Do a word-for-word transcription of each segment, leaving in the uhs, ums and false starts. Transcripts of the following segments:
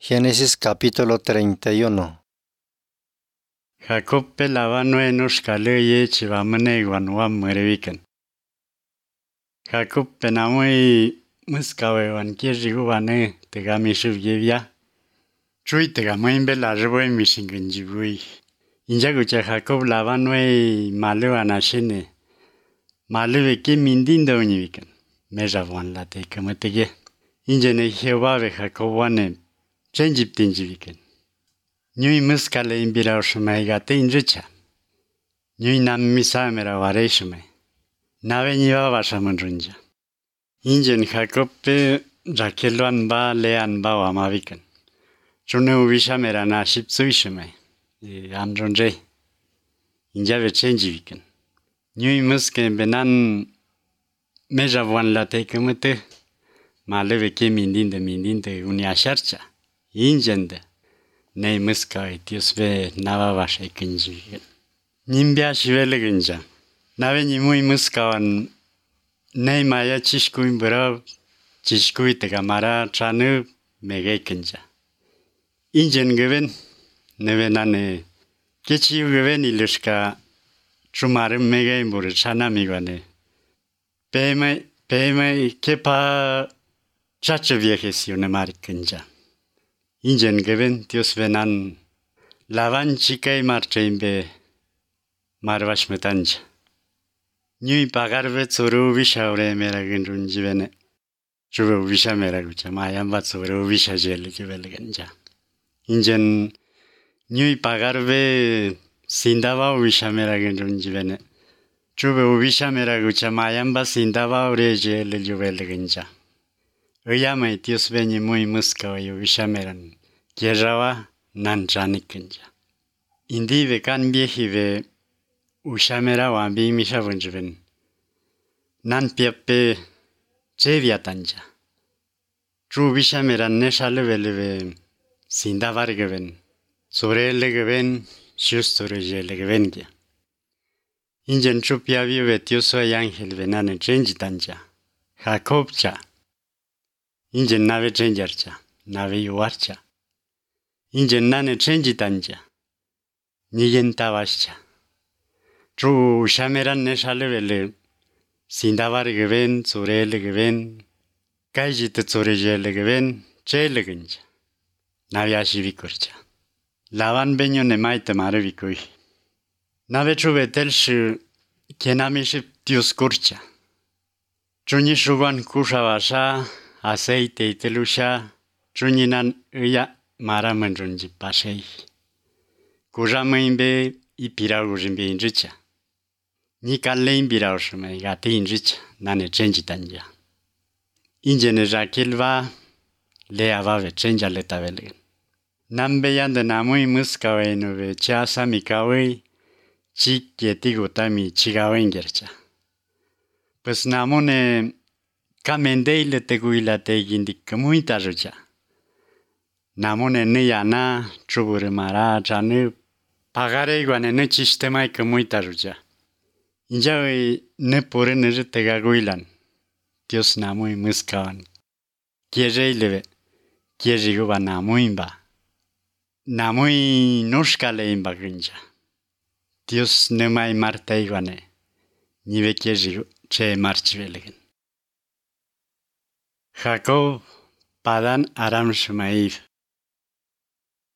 Génesis capítulo treinta y uno. Jacob pelaba nuenos caleye chivamane guanwa mureviken. Jacob penamui muskawe wan kirjigu wane tegami shuvyevya. Chui tegamui bela reboy mishingenjibui. Injagucha Jacob lavanwe malu anashine. Malu veki mindindo univiken. Meja wan la te kamatege. Injene Jehová Jacob wane chenjiptinjiviken. Nyui muskale imbira shumai gate inricha. Nyui nam misamera ware shumai. Nave niwa washamunrunja. Injen Jacob pe Raqueluan ba lean ba wamavikan. Chune uvishamera na shipsui shumai. Andronre. Injave chenjivikan. Nyui muske benan meja wan la te kumute. Maleve ke mindinde mindinde uniasharcha. Injende. Nei muska Dios ve nava vashe kinji. Nimbia shivele ginja. Nave ni muy muskawan nei maya chishkuin bura chishkui tegamara chanu mege kinja. Injen geven neve nane kechi geven ilushka chumarim mege imbur chana migwane. Peme peme kepa chacha viejes yunamari kinja. Injen geven Dios venan lavan chikai marchaimbe marvash metanja. Nyui pagarve tsuru vishaure mera gendrunjivene. Chuve visha mera gucha mayamba tsuru visha jele jivele ganja. Injen nyui pagarve sindava visha mera gendrunjivene. Chuve visha mera gucha mayamba sindava ure jele jivele ganja. Oyama Dios veni muy muska yo vishameran. Kierrawa nan janikinja. Indi ve kan viejive ushamera wambi mishavunjven. Nan piape cheviatanja. Tru vishameran neshaleveleve sindavargeven. Sorelegeven shustorejelegevenja. Injen chupia vive Dios o ángel venane chenjitanja. Jacobcha. Injen nave chenjarcha, nave yuarcha. Injen nane chenjitanja. Niyen tavascha. Tru shameran neshalevele. Sindavar geven, surele geven. Kajit surejele geven, chele genja. Nave ashivikurcha. Lavan benyo nemaite marevikui. Nave tru betelsh kenamiship Dios kurcha. Truni shuban kushavasha. Aceite itelusha, truninan uya maramanjunji pasei. Kujamaimbe ipiraurimbe inricha. Nikalle imbiraushme gati inricha, nane chenjitanja. Injene Raquelva leavave chenja letavelen. Nambe yande namui muskawe nove chasa mikawe chikietigutami chigawengercha. Pues namone Kamendele teguila tegindik muy tarucha. Namone neyana chubure mara chanu pagare iguane ne sistema que muy tarucha. Injawe ne pore ne tegaguilan. Dios namui muskawan. Quiere leve. Quiere guba namuimba. Namui nushkale imba ginja. Dios ne mai marta iguane. Nive quiere che marchvelegen. Jacob padan aram shumaif.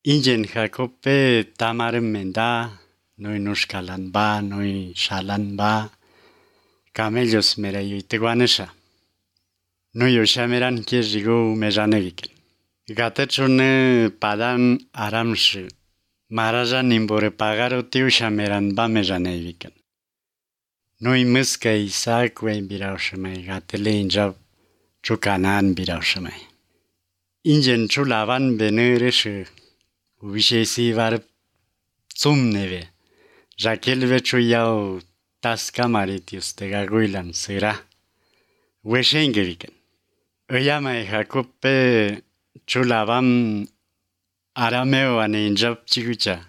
Injen Jacob pe tamarem menda, noi nushkalan ba, noi shalan ba, camellos mera yuiteguanesha. Noi ushameran kirjigu mejaneviken. Gatechune padan aram shu. Maraja nimbore pagaro tiu shameran ba mejaneviken. Noi muska Isaac we birau shumai gatele injab. Chukanan biraushmai. Injen chulavan benereshu. Ubishesi var tsumneve. Raquelve chuyau tascamaritius tegaguilan sera. Weshengeviken. Oyama Jacob pe chulavan arameo ane injab chigucha.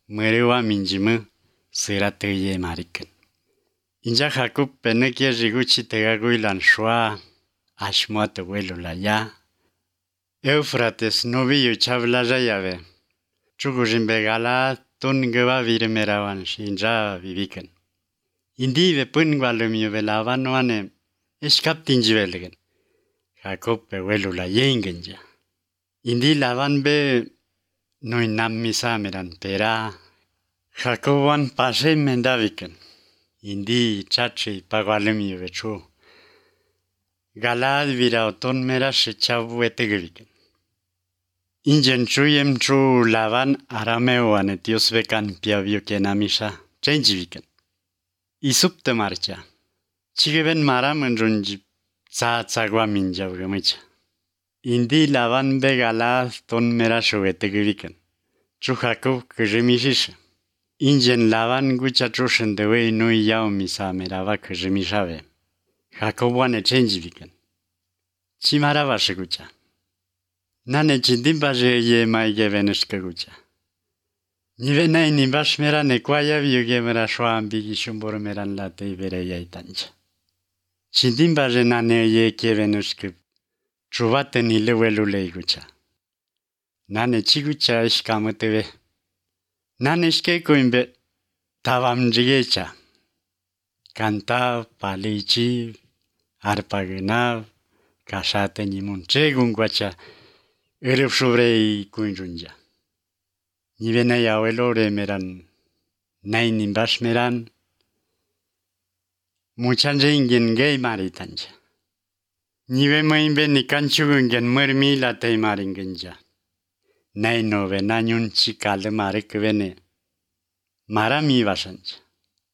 Muerewa minjimu sera teye mariken. Inja Jacob pe nekie riguchi tegaguilan shua. Ashmuat vuelo la ya. Eufrates noviu chavlaja yave. Chugujin begala ton geva virmerawan shinja viviken. Indi ve pun gwalumio velavan wane eskaptin jivelgen. Jacob be welula yengenja. Indi lavan be noin nammisa meran pera. Jacob wan pase mendaviken. Indi chachi pagwalumio vechu. Galad virauton mera shechavu etegeviken. Ingen chuyem chu lavan arameo ane Dios vekan piavio kenamisha changeviken. Isupte marcha. Chigeven maram enrunji tsa tsagwa minjavgamicha. Indi lavan be galad ton mera shovetegeviken. Chu Jacob kejemishisha. Ingen lavan gucha chushen dewe nui yao misa merava kejemishave. Jacob wane changeviken. Chimarava shigucha. Nane chindimbaje ye maige veneshke gucha. Nive nay nimbash mera nekwaya vyuge mera shwambigi shumbor meran late ivere yaitancha. Chindimbaje nane ye ke veneshke chuvate nile welule gucha. Nane chigucha ishkamutewe. Nane ishke kuimbe tavam jigecha. Canta palichi arpagena kashate nimunche gungwacha. Erep sobre kuinjunja. Nivena ya welore meran. Nay nimbash meran. Muchanje ingen gay maritanja. Nive moimbe ni kanchugungen mermi la te maringenja. Nay nove nanyun chikale marekvene. Marami vasanja.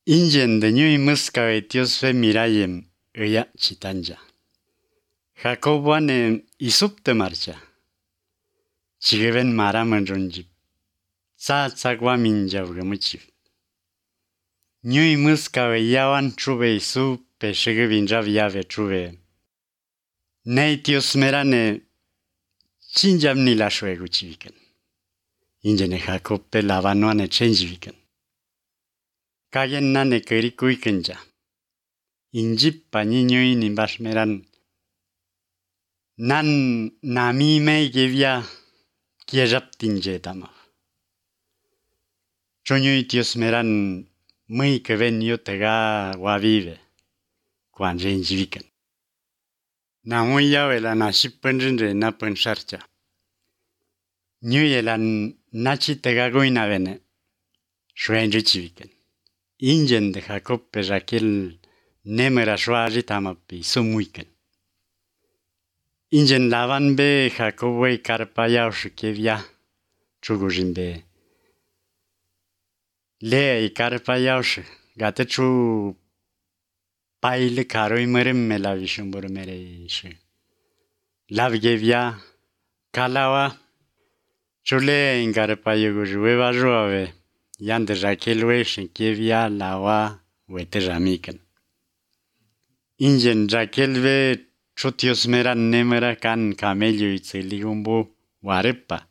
Ingen de nyui muska etios fe mirayem eya chitanja. Jacob wane isupte marcha. Chigeven maram enrunjip. Tsa tsagwa minjavgamuchiv. Nyui muska ve yawan chuve isu peshege vinjav yave chuve. Nei tios merane chinjam nila shwegu chiviken. Ingene Jacob pe lavanoane changeviken. Kagen nane kerikuikenja. Injip pa niñui nimbash meran. Nan nami mei gevia kiejap tinje tamav. Chonyui tios meran mui keven yotega wavive. Kwan renjiviken. Na mui yawela na shippenjinre na pensarcha. Nyuyelan nachi tega goina vene. Shwenje chiviken. Ingen de Jacob pe Raquel nemera shwaji tamapi sumuiken. Ingen lavan be Jacob wey karpayao shikevia chugujin be. Le i karpayao sh gate chu paile karoi merem melavishum mere sh. Lavgevia kalawa chule in karpayo gujueva joave. Yande Raquel we shinkevia lawa wete ramiken. Ingen Raquel we chutios mera nemera kan camello itzeligumbu warepa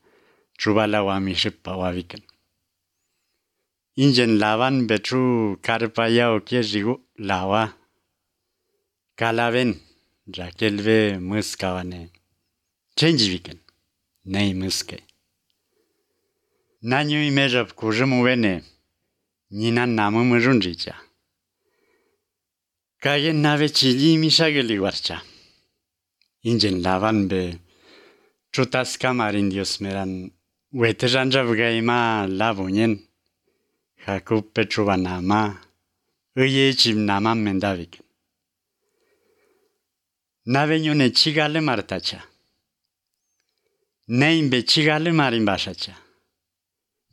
chubala wamishipa waviken. Ingen lavan betru karpaya o kiejigu lawa. Kalaven Raquel we muskawane. Changeviken. Nei muske. Nanyu imejap kujumu wene. Nina namu mujunjicha. Kagen nave chili mishageli warcha. Ingen lavan be chutas kamarin dios meran. Wete janjav gaima lavunyen. Jacob petruva nama. Uye chim nama mendavik. Nave nyune chigale martacha. Neimbe chigale marin bashacha.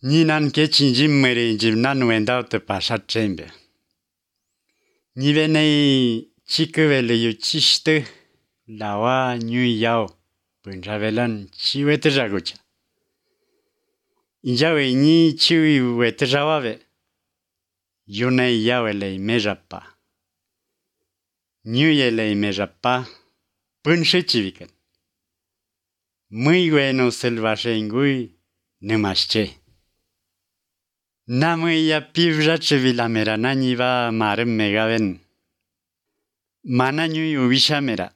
Ninan ke chinjim mere jim nan wendao te pashat chembe. Nive nei chikevele yu chishte lawa nyu yao punjavelan chiwete jagucha. Injawe ni chiwi wete jawave. Yune yawele mejapa. Nyu yele mejapa punshe chiviken. Muy bueno selvashe ingui nemasche. Namu ya pivja chevila mera nani va marem megaven. Mana nyui ubisha mera.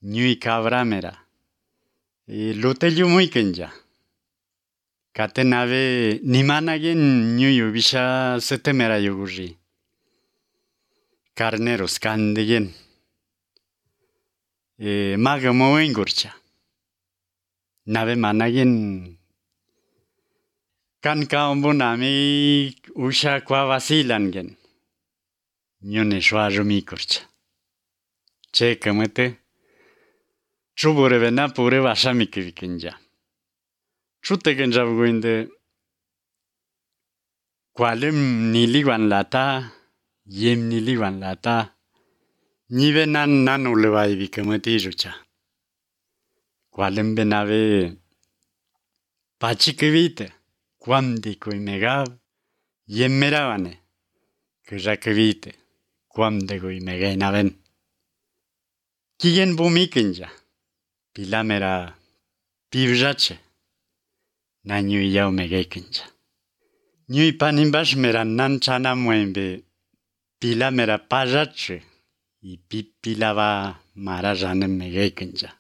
Nyui cabra mera. Luteliu muy kenja. Kate nave nimanagen nyuyu bisha setemera yuguri. Carneros kandegen. E, maga moen gurcha. Nave managen kan kaombo nami usha kwa vasilangen. Nyone shwarumi kurcha. Che kamete. Chubure vena pure vasami kivikinja. Chute kenja buguinde. Kwalem niliwan lata. Yem niliwan lata. Nive nan nan ulewai vikamati rucha. Kwalem benave. Pachikivite. Kwam di kui megav. Yem meravane. Kujakivite. Kwam de kui megay naven. Kigen bumikinja. Pilamera pivjache. Na nyui yao megekinja. Nyui panimbash mera nan chana muembe. Pilamera pajache. I pipilava marajane megekinja.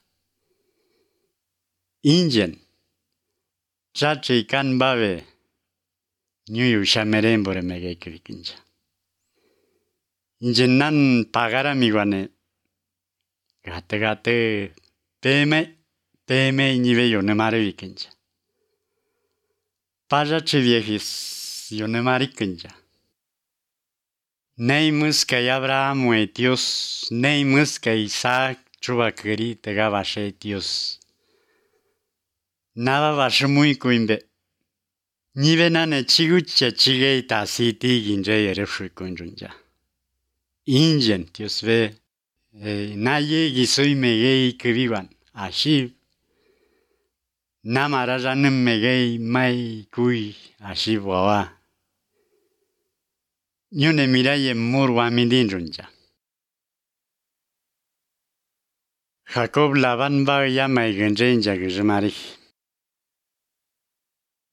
Ingen. Chache ikan bave. Nyui ushamerembore megekinja. Ingen nan pagara miguane. Gate gate. Peme, peme nive yonemare vikinja. Pajache viejis yonemare kinja. Nei muska y Abraham e Dios, nei muska Isaac chubakeri tegabashe Dios. Nava bashe muy kuimbe. Nive nane chigucha chigei tasiti ginje yerefshu kunjunja. Ingen Dios ve. Eh, naye gisoi megei kiviwan. Ashi. Namarajanem megei mai kui. Ashi wawa. Nyone miraye murwa midinjunja. Jacob Laban ba yama igenjenja gijimari.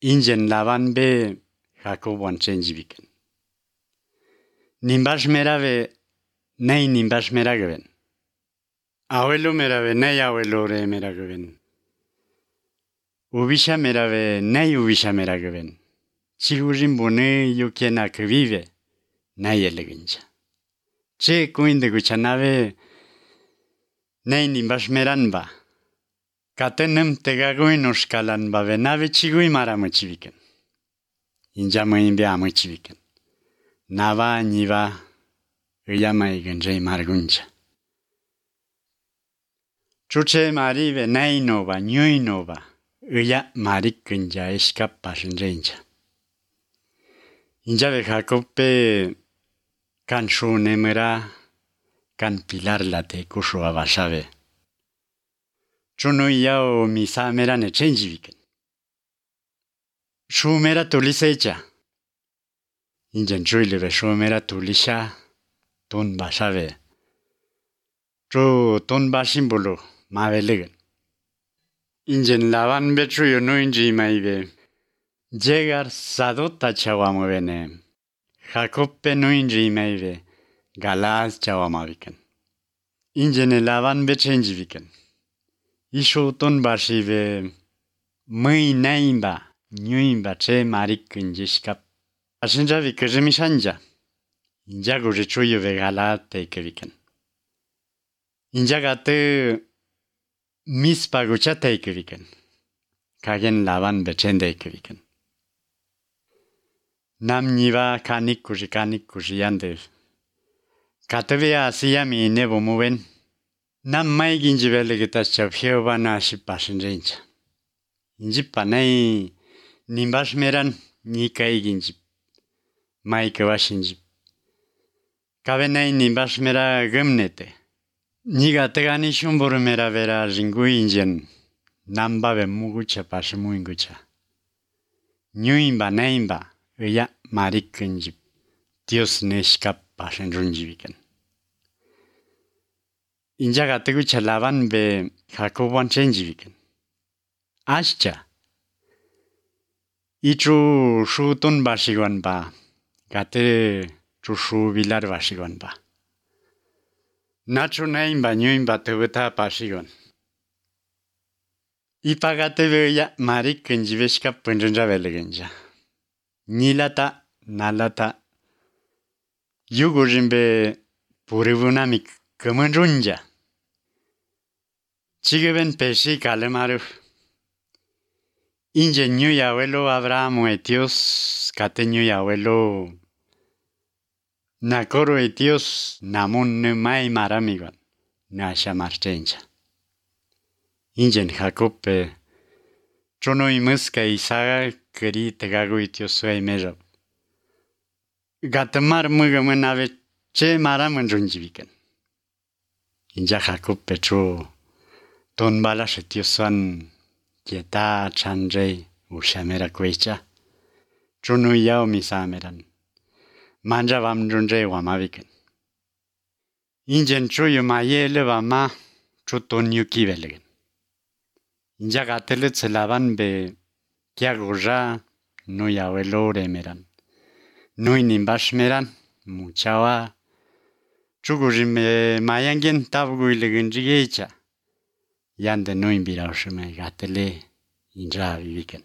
Ingen Laban be Jacob wanchenji biken. Nimbash merave. Nei nimbash meragaven. Abuelo merave, nei abuelo re meragaven. Ubisha merave, nei ubisha meragaven. Chigurin bone yukena que vive, nei eleginja. Che kuinde guchanave, nei nimbash meranba. Katenem tegaguin uskalan ba venave chigui maramuchiviken. Injama imbe amuchiviken. Nava niva. Uyama igenjei margunja. Chuche marive nei nova, nyui nova. Uya marikunja eskap pashenjenja. Injave Jacobe kan shunemera kan pilar late kushu abashave. Chuno yao misa mera ne chenji viken. Shumera tulisecha. Injan chuileve shumera tulisha. Ton bashave. Cho ton bashimbulu maveligen. Ingen Laban betru yonu inji maive. Llegar sadota chawamuvene. Jacob no inji maive. Galaz chawamaviken. Ingen Laban bechenji viken. Isho ton bashive. Mui naimba. Nyuimba che marikin jishkap. Ashinja vikajimishanja. Inja gurichuyo vegala teikeviken. Inja gate mispa gucha teikeviken. Kagen Laban bechen teikeviken. Nam niva kanik kushi kanik kushi yandev. Katevea asiyami nebo muven. Nam mai ginji velegitas chapjeo bana shipashinjencha. Inji panay nimbash meran nikai ginji. Mai kawashinji. Kavenay nimbash mera gemnete. Niga tegani shumbur mera vera ringu ingen. Nambave mugucha pashimu ingucha. Nyuimba naimba. Uya marikunjib. Dios neshkap pashin runjiviken. Injaga tegucha Laban be Jacob wanchenjiviken. Ashcha. Ichu shutun bashiwan ba. Gate chushu vilar bashiwan ba. Nacho naimba nyuimba teguta pashiwan. Ipagate veya mari kenjiveshka penjenja velegenja. Nilata nalata yugujimbe purivunami kemenjunja. Chigeben peshi kalemaru. Ingenio y abuelo Abraham etios cateño y abuelo Nakoro etios namun mai maramigan nasha marchenja. Ingen Jacob chono imuska isaga keri tegago etios suai meja. Gatamar mugamanave che maramanjunjivikan. Inja Jacob petro ton balas etios suan Kieta chanjay ushamera kwecha. Chono yao misameran. Manja vam junjay wamaviken. Ingen choyo mayele vama choton yuki velegen. Inja gatelet se lavan be kiagoja no yawelo remeran. No inimbashmeran muchawa. Chugujime mayangen tabgu ilegenjigecha. Yande no imbiraushme gatele inja viviken.